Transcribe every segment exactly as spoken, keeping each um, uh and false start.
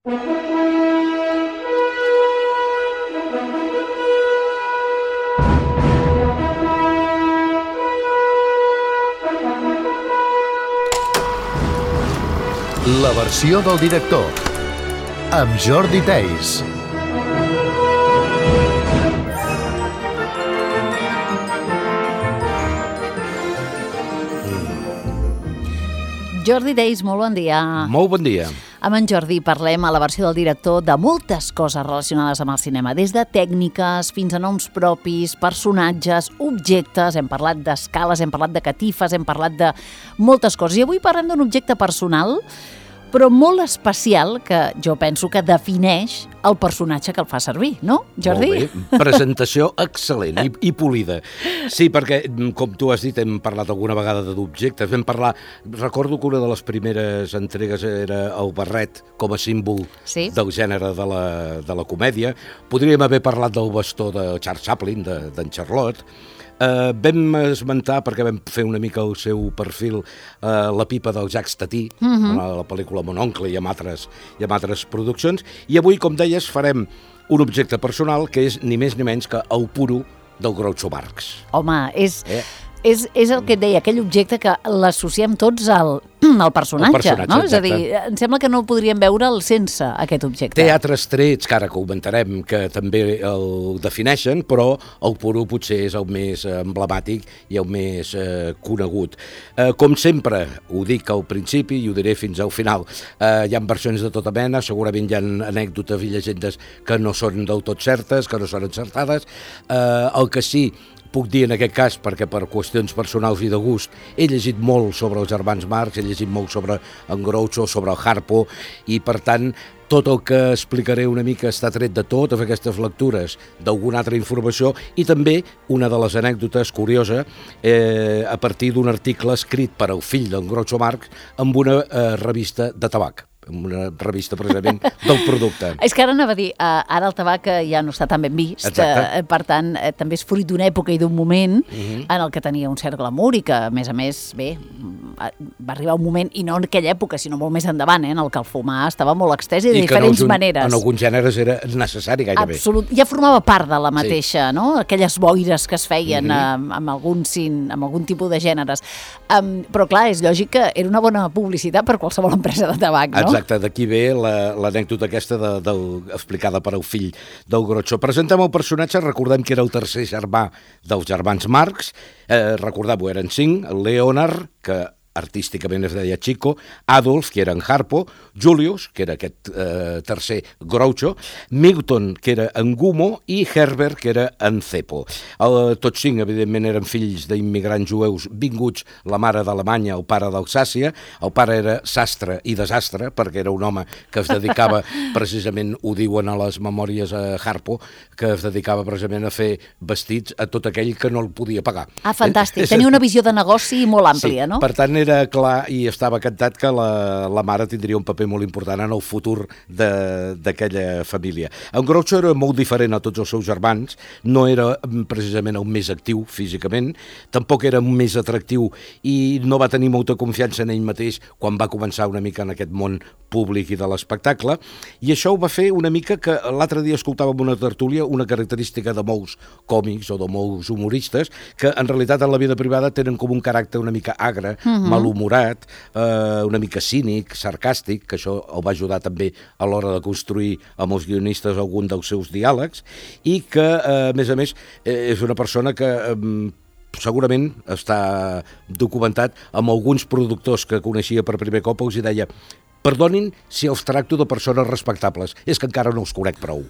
La versió del director, amb Jordi Theis. Jordi Theis, molt bon dia. Molt bon dia. Amb en Jordi parlem a la versió del director de moltes coses relacionades amb el cinema, des de tècniques fins a noms propis, personatges, objectes, hem parlat d'escales, hem parlat de catifes, hem parlat de moltes coses. I avui parlem d'un objecte personal, però molt especial, que jo penso que defineix el personatge que el fa servir, no, Jordi? Molt bé, presentació excel·lent i, i polida. Sí, perquè, com tu has dit, hem parlat alguna vegada d'objectes, vam parlar, recordo que una de les primeres entregues era el barret com a símbol sí. del gènere de la, de la comèdia. Podríem haver parlat del bastó de Charles Chaplin, de, d'en Charlot. Uh, vam esmentar, perquè vam fer una mica el seu perfil, uh, la pipa del Jacques Tati, uh-huh. a la pel·lícula Mon oncle i amb altres, i amb altres produccions, i avui, com deies, farem un objecte personal que és ni més ni menys que el puro del Groucho Marx. Home, és... Eh? És, és el que et deia, aquell objecte que l'associem tots al, al personatge, el personatge, no? exacte. És a dir, em sembla que no podríem veure'l sense aquest objecte. Té altres trets, que ara comentarem, que també el defineixen, però el puro potser és el més emblemàtic i el més eh, conegut. Eh, com sempre, ho dic al principi i ho diré fins al final, eh, hi ha versions de tota mena, segurament hi ha anècdotes i llegendes que no són del tot certes, que no són encertades. Eh, el que sí puc dir en aquest cas, perquè per qüestions personals i de gust, he llegit molt sobre els germans Marx, he llegit molt sobre en Groucho, sobre el Harpo, i per tant, tot el que explicaré una mica està tret de totes aquestes lectures, d'alguna altra informació, i també una de les anècdotes curiosa, eh, a partir d'un article escrit per al fill d'en Groucho Marx amb una eh, revista de tabac, una revista precisament del producte. És que ara anava a dir, uh, ara el tabac ja no està tan ben vist, uh, per tant, uh, també és fruit d'una època i d'un moment uh-huh. en el que tenia un cert glamour i que, a més a més, bé, va arribar un moment, i no en aquella època, sinó molt més endavant, eh, en el que el fumar estava molt extès i de I diferents en, maneres. En alguns gèneres era necessari gairebé. Absolut, ja formava part de la mateixa, sí. no? Aquelles boires que es feien uh-huh. amb, amb, algun, amb algun tipus de gèneres. Um, però clar, és lògic que era una bona publicitat per qualsevol empresa de tabac, no? Exacte, d'aquí ve l'anècdota aquesta de, de, explicada per el fill del Groucho. Presentem el personatge, recordem que era el tercer germà dels germans Marx, eh, recordem-ho, eren cinc, el Leonard, que artísticament es deia Chico, Adolf, que era en Harpo, Julius, que era aquest eh, tercer Groucho, Milton, que era en Gumo, i Herbert, que era en Cepo. El, tots cinc, evidentment, eren fills d'immigrants jueus vinguts, la mare d'Alemanya, el pare d'Alsàcia. El pare era sastre i desastre, perquè era un home que es dedicava, precisament ho diuen a les memòries a Harpo, que es dedicava precisament a fer vestits a tot aquell que no el podia pagar. Ah, fantàstic. Tenia una visió de negoci molt àmplia, sí, no? Per tant, era clar i estava cantat que la, la mare tindria un paper molt important en el futur d'aquella família. En Groucho era molt diferent a tots els seus germans, no era precisament el més actiu físicament, tampoc era més atractiu i no va tenir molta confiança en ell mateix quan va començar una mica en aquest món públic i de l'espectacle, i això ho va fer una mica que l'altre dia escoltàvem una tertúlia, una característica de molts còmics o de molts humoristes, que en realitat en la vida privada tenen com un caràcter una mica agre, uh-huh. malhumorat, eh, una mica cínic, sarcàstic, que això el va ajudar també a l'hora de construir amb els guionistes algun dels seus diàlegs, i que, eh, a més a més, eh, és una persona que eh, segurament està documentat amb alguns productors que coneixia per primer cop, els hi deia: perdonin si els tracto de persones respectables, és que encara no els conec prou.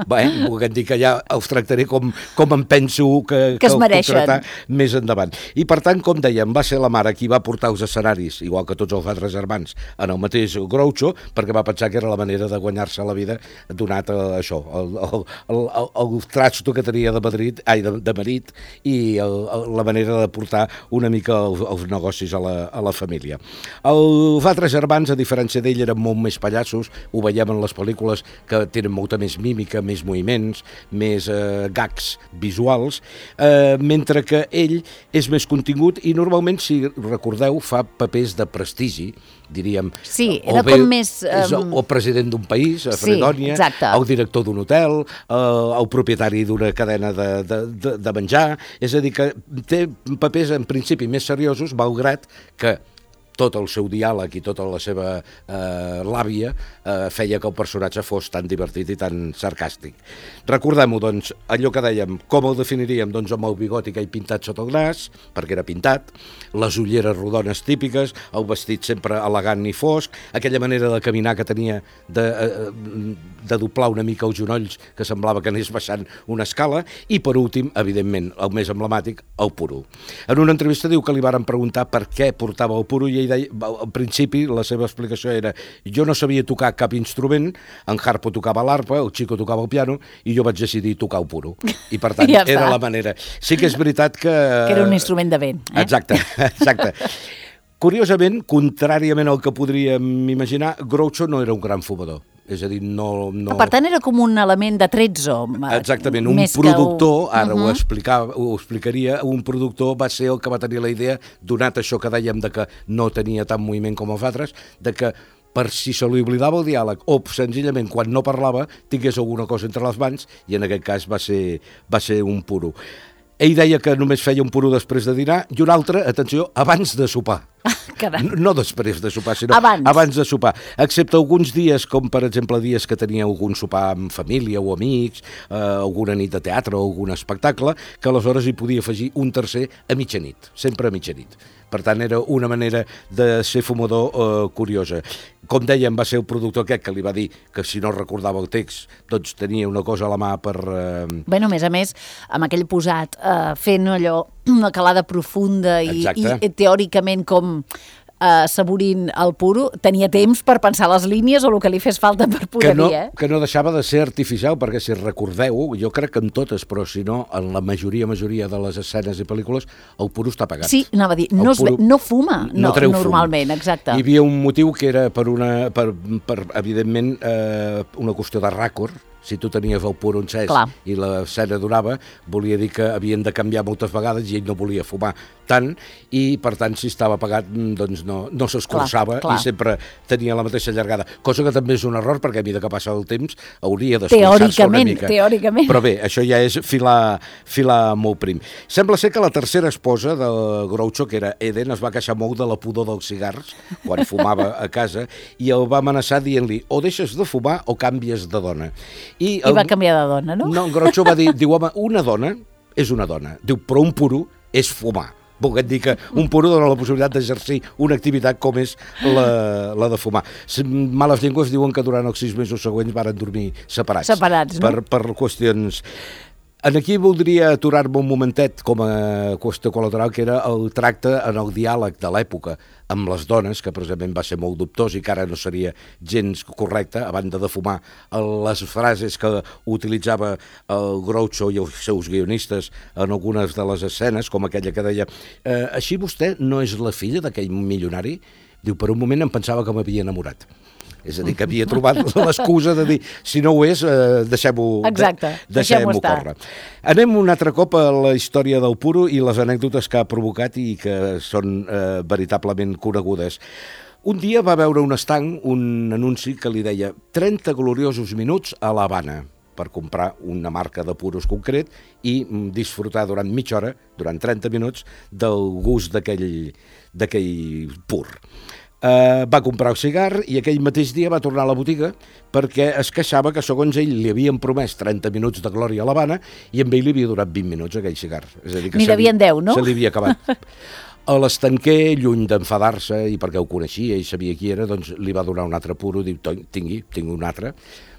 Bé, volguem dir que ja els tractaré com, com em penso que, que, que es mereixen més endavant. I per tant, com dèiem, va ser la mare qui va portar els escenaris, igual que tots els altres germans, en el mateix Groucho, perquè va pensar que era la manera de guanyar-se la vida donat a això, el, el, el, el, el trasto que tenia de Madrid, ai, de, de marit, i el, el, la manera de portar una mica els, els negocis a la, a la família. Els altres germans, a diferència ser d'ell eren molt més pallassos, ho veiem en les pel·lícules que tenen molta més mímica, més moviments, més eh, gags visuals, eh, mentre que ell és més contingut i normalment, si recordeu, fa papers de prestigi, diríem. Sí, era o bé, com més... Um... o president d'un país, a Fredònia, sí, el director d'un hotel, eh, el propietari d'una cadena de, de, de, de menjar, és a dir, que té papers en principi més seriosos, malgrat que tot el seu diàleg i tota la seva eh, làbia eh, feia que el personatge fos tan divertit i tan sarcàstic. Recordem-ho, doncs, allò que dèiem, com el definiríem? Doncs amb el bigoti que hi pintat sota el nas, perquè era pintat, les ulleres rodones típiques, el vestit sempre elegant i fosc, aquella manera de caminar que tenia de, de doblar una mica els genolls, que semblava que anés baixant una escala, i per últim, evidentment, el més emblemàtic, el puro. En una entrevista diu que li varen preguntar per què portava el puro i ell deia, al principi la seva explicació era jo no sabia tocar cap instrument, en Harpo tocava l'arpa, el Chico tocava el piano i jo vaig decidir tocar el puro i per tant ja era la manera. Sí que és veritat que... Que era un instrument de vent. Eh? Exacte, exacte. Curiosament, contràriament al que podríem imaginar, Groucho no era un gran fumador. És a dir, no... no... Per tant, era com un element de tretzo. Exactament, un productor, que... ara uh -huh. ho, explica, ho explicaria, un productor va ser el que va tenir la idea, donat això que dèiem de que no tenia tant moviment com els altres, de que per si se li oblidava el diàleg o senzillament quan no parlava tingués alguna cosa entre les mans i en aquest cas va ser, va ser un puro. Ell deia que només feia un puro després de dinar i un altre, atenció, abans de sopar. No, no després de sopar, sinó abans. abans de sopar. Excepte alguns dies, com per exemple dies que tenia algun sopar amb família o amics, eh, alguna nit de teatre o algun espectacle, que aleshores hi podia afegir un tercer a mitjanit, sempre a mitjanit. Per tant, era una manera de ser fumador eh, curiosa. Com dèiem, va ser el productor aquest que li va dir que si no recordava el text, doncs tenia una cosa a la mà per... Eh... Bé, a més a més, amb aquell posat, eh, fent allò, una calada profunda i, i teòricament com eh, saborint el puro, tenia temps per pensar les línies o el que li fes falta per poder que no, dir, eh? Que no deixava de ser artificial, perquè si recordeu, jo crec que en totes, però si no, en la majoria, majoria de les escenes i pel·lícules, el puro està apagat. Sí, anava a dir, no, es, no fuma no, no normalment, fum. Exacte. Hi havia un motiu que era per, una, per, per evidentment, eh, una qüestió de ràcord. Si tu tenies el puro encès Clar. I l'escena durava, volia dir que havien de canviar moltes vegades i ell no volia fumar tant i, per tant, si estava apagat, doncs no, no s'escurçava i sempre tenia la mateixa llargada. Cosa que també és un error, perquè a mesura que passa el temps hauria d'escurçar-se una mica. Teòricament, Però bé, això ja és filar, filar molt prim. Sembla ser que la tercera esposa de Groucho, que era Eden, es va queixar molt de la pudor dels cigars quan fumava a casa i el va amenaçar dient-li o deixes de fumar o canvies de dona. I, el... I va canviar de dona, no? No, Groucho va dir, diu, home, una dona és una dona. Diu, però un puro és fumar. Volguem dir que un puro dona la possibilitat d'exercir una activitat com és la, la de fumar. Males llengües diuen que durant els sis mesos següents varen dormir separats. Separats, no? Per, per qüestions... En aquí voldria aturar-me un momentet com a qüestió col·lateral, que era el tracte en el diàleg de l'època amb les dones, que precisament va ser molt dubtós i que ara no seria gens correcte, a banda de fumar les frases que utilitzava el Groucho i els seus guionistes en algunes de les escenes, com aquella que deia eh, així vostè no és la filla d'aquell milionari? Diu, per un moment em pensava que m'havia enamorat. És a dir, que havia trobat l'excusa de dir si no ho és, eh, deixem-ho Exacte, deixem-ho deixem córrer. Anem un altre cop a la història del puro i les anècdotes que ha provocat i que són eh, veritablement conegudes. Un dia va veure un estanc, un anunci que li deia trenta gloriosos minuts a l'Havana per comprar una marca de puros concret i disfrutar durant mitja hora, durant trenta minuts, del gust d'aquell d'aquell pur. Uh, va comprar el cigar i aquell mateix dia va tornar a la botiga perquè es queixava que segons ell li havien promès trenta minuts de glòria a l'Havana i amb ell li havia durat vint minuts aquell cigar. És a dir, que n'hi devien deu, no? Se li havia acabat. A l'estanquer, lluny d'enfadar-se i perquè ho coneixia i sabia qui era, doncs li va donar un altre puro, diu, tingui, tingui un altre.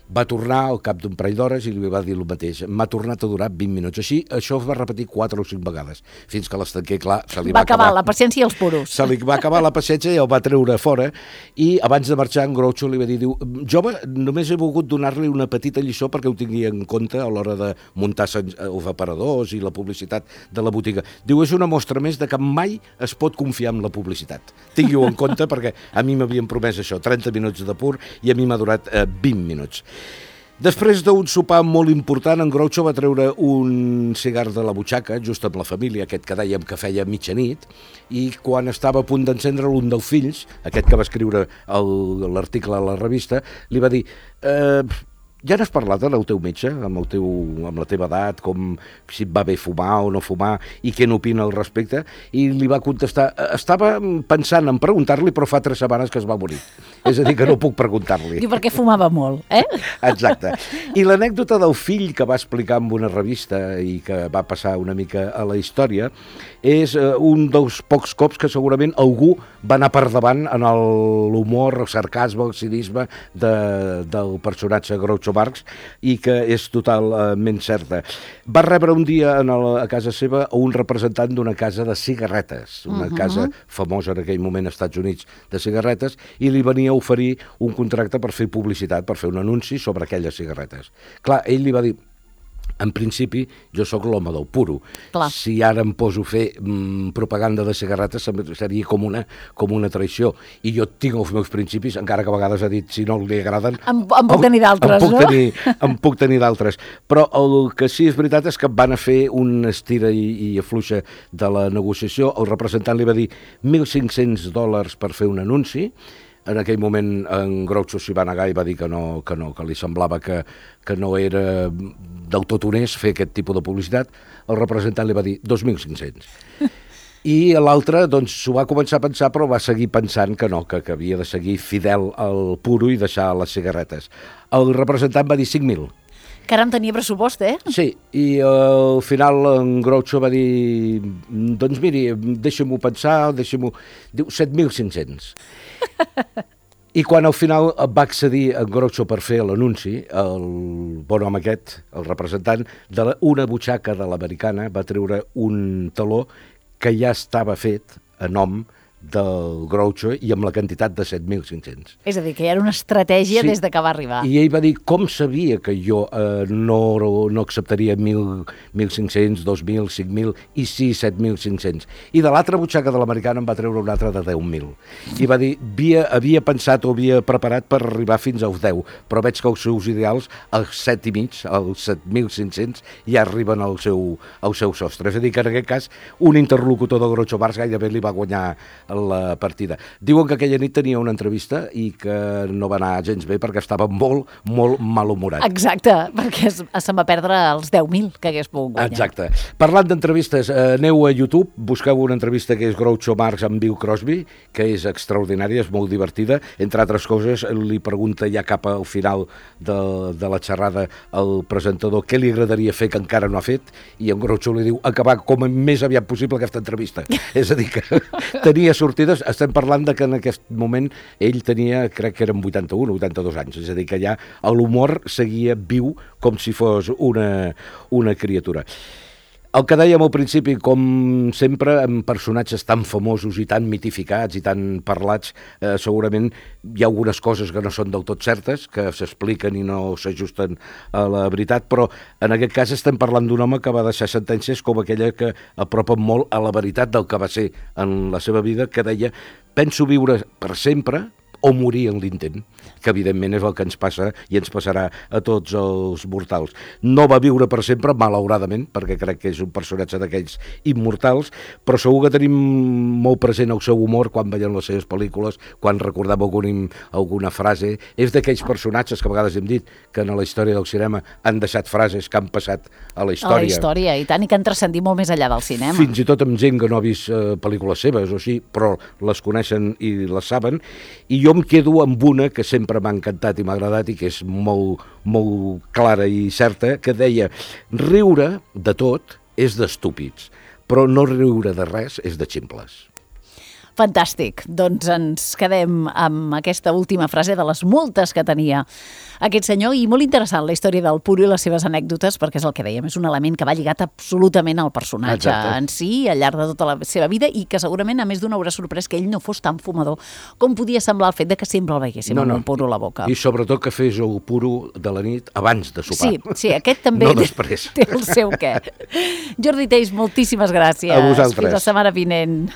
Va tornar al cap d'un parell d'hores i li va dir el mateix. M'ha tornat a durar vint minuts. Així, això es va repetir quatre o cinc vegades, fins que l'estanquer, clar, se li va, va acabar. acabar La paciència i els puros. Se li va acabar la paciència i el va treure fora, i abans de marxar en Groucho li va dir, diu, jove, només he volgut donar-li una petita lliçó perquè ho tingui en compte a l'hora de muntar els aparadors i la publicitat de la botiga. Diu, és una mostra més de que mai es pot confiar en la publicitat. Tingui-ho en compte perquè a mi m'havien promès això, trenta minuts de pur, i a mi m'ha durat eh, vint minuts. Després d'un sopar molt important, en Groucho va treure un cigar de la butxaca, just amb la família, aquest que dèiem que feia mitjanit, i quan estava a punt d'encendre'l, un dels fills, aquest que va escriure l'article a la revista, li va dir... Eh, ja n'has parlat amb el teu metge, amb, el teu, amb la teva edat, com si et va bé fumar o no fumar, i què n'opina al respecte? I li va contestar, estava pensant en preguntar-li, però fa tres setmanes que es va morir. És a dir, que no puc preguntar-li. Diu, perquè fumava molt, eh? Exacte. I l'anècdota del fill que va explicar en una revista i que va passar una mica a la història és uh, un dels pocs cops que segurament algú va anar per davant en l'humor, el sarcasme, el cinisme de, del personatge Groucho Marx, i que és totalment certa. Va rebre un dia en el, a casa seva un representant d'una casa de cigarretes, una uh-huh. casa famosa en aquell moment als Estats Units de cigarretes, i li venia a oferir un contracte per fer publicitat, per fer un anunci sobre aquelles cigarretes. Clar, ell li va dir, en principi, jo sóc l'home del puro. Clar. Si ara em poso a fer mm, propaganda de cigarretes seria com una, com una traïció. I jo tinc els meus principis, encara que a vegades ha dit, si no li agraden... En, en puc tenir d'altres, no? Tenir, en puc tenir d'altres. Però el que sí és veritat és que van a fer una estira i, i afluixa de la negociació. El representant li va dir mil cinc-cents dòlars per fer un anunci. En aquell moment en Groucho s'hi va negar i va dir que no, que no, que li semblava que, que no era del tot honest fer aquest tipus de publicitat. El representant li va dir dos mil cinc-cents. I l'altre, doncs, s'ho va començar a pensar, però va seguir pensant que no, que, que havia de seguir fidel al puro i deixar les cigarretes. El representant va dir cinc mil. Que ara en tenia pressupost, eh? Sí, i al final en Groucho va dir, doncs miri, deixa-m'ho pensar, deixa-m'ho... Diu, set mil cinc-cents. I quan al final va accedir en Groucho per fer l'anunci, el bon home aquest, el representant, d'una butxaca de l'americana va treure un taló que ja estava fet a nom del Groucho i amb la quantitat de set mil cinc-cents. És a dir, que ja era una estratègia sí. des de que va arribar. I ell va dir, com sabia que jo eh, no, no acceptaria mil cinc-cents, dos mil, cinc mil i sí, set mil cinc-cents. I de l'altra butxaca de l'americana en va treure una altra de deu mil. I va dir, havia, havia pensat o havia preparat per arribar fins als deu, però veig que els seus ideals, els set i mig, els set mil cinc-cents, ja arriben al seu, al seu sostre. És a dir, que en aquest cas, un interlocutor de Groucho Marx gairebé li va guanyar la partida. Diuen que aquella nit tenia una entrevista i que no va anar gens bé perquè estava molt, molt malhumorat. Exacte, perquè es, se'n va perdre els deu mil que hagués pogut guanyar. Exacte. Parlant d'entrevistes, eh, aneu a YouTube, busqueu una entrevista que és Groucho Marx amb Bill Crosby, que és extraordinària, és molt divertida. Entre altres coses, li pregunta ja cap al final de, de la xerrada al presentador què li agradaria fer que encara no ha fet, i en Groucho li diu acabar com més aviat possible aquesta entrevista. És a dir, que tenia sortides, estem parlant de que en aquest moment ell tenia, crec que eren vuitanta-un o vuitanta-dos anys, és a dir, que ja l'humor seguia viu com si fos una, una criatura. El que dèiem al principi, com sempre, amb personatges tan famosos i tan mitificats i tan parlats, eh, segurament hi ha algunes coses que no són del tot certes, que s'expliquen i no s'ajusten a la veritat, però en aquest cas estem parlant d'un home que va deixar sentències com aquella que apropen molt a la veritat del que va ser en la seva vida, que deia, penso viure per sempre o morir en l'intent, que evidentment és el que ens passa i ens passarà a tots els mortals. No va viure per sempre, malauradament, perquè crec que és un personatge d'aquells immortals, però segur que tenim molt present el seu humor quan veiem les seves pel·lícules, quan recordem algun, alguna frase. És d'aquells personatges que a vegades hem dit que en la història del cinema han deixat frases que han passat a la història. A la història, i tant, i que han transcendit molt més enllà del cinema. Fins i tot amb gent que no ha vist eh, pel·lícules seves, o sí, però les coneixen i les saben, i jo em quedo amb una que sempre m'ha encantat i m'ha agradat i que és molt, molt clara i certa, que deia, riure de tot és d'estúpids, però no riure de res és de ximples. Fantàstic. Doncs ens quedem amb aquesta última frase de les moltes que tenia aquest senyor, i molt interessant la història del puro i les seves anècdotes, perquè és el que dèiem, és un element que va lligat absolutament al personatge Exacte. en si, al llarg de tota la seva vida, i que segurament a més d'una haurà sorprès que ell no fos tan fumador com podia semblar el fet de que sempre el veiéssim No, amb no. un puro a la boca. I sobretot que fes el puro de la nit abans de sopar. Sí, sí, aquest també No després. té el seu què. Jordi Teis, moltíssimes gràcies. A vosaltres. Fins la setmana vinent.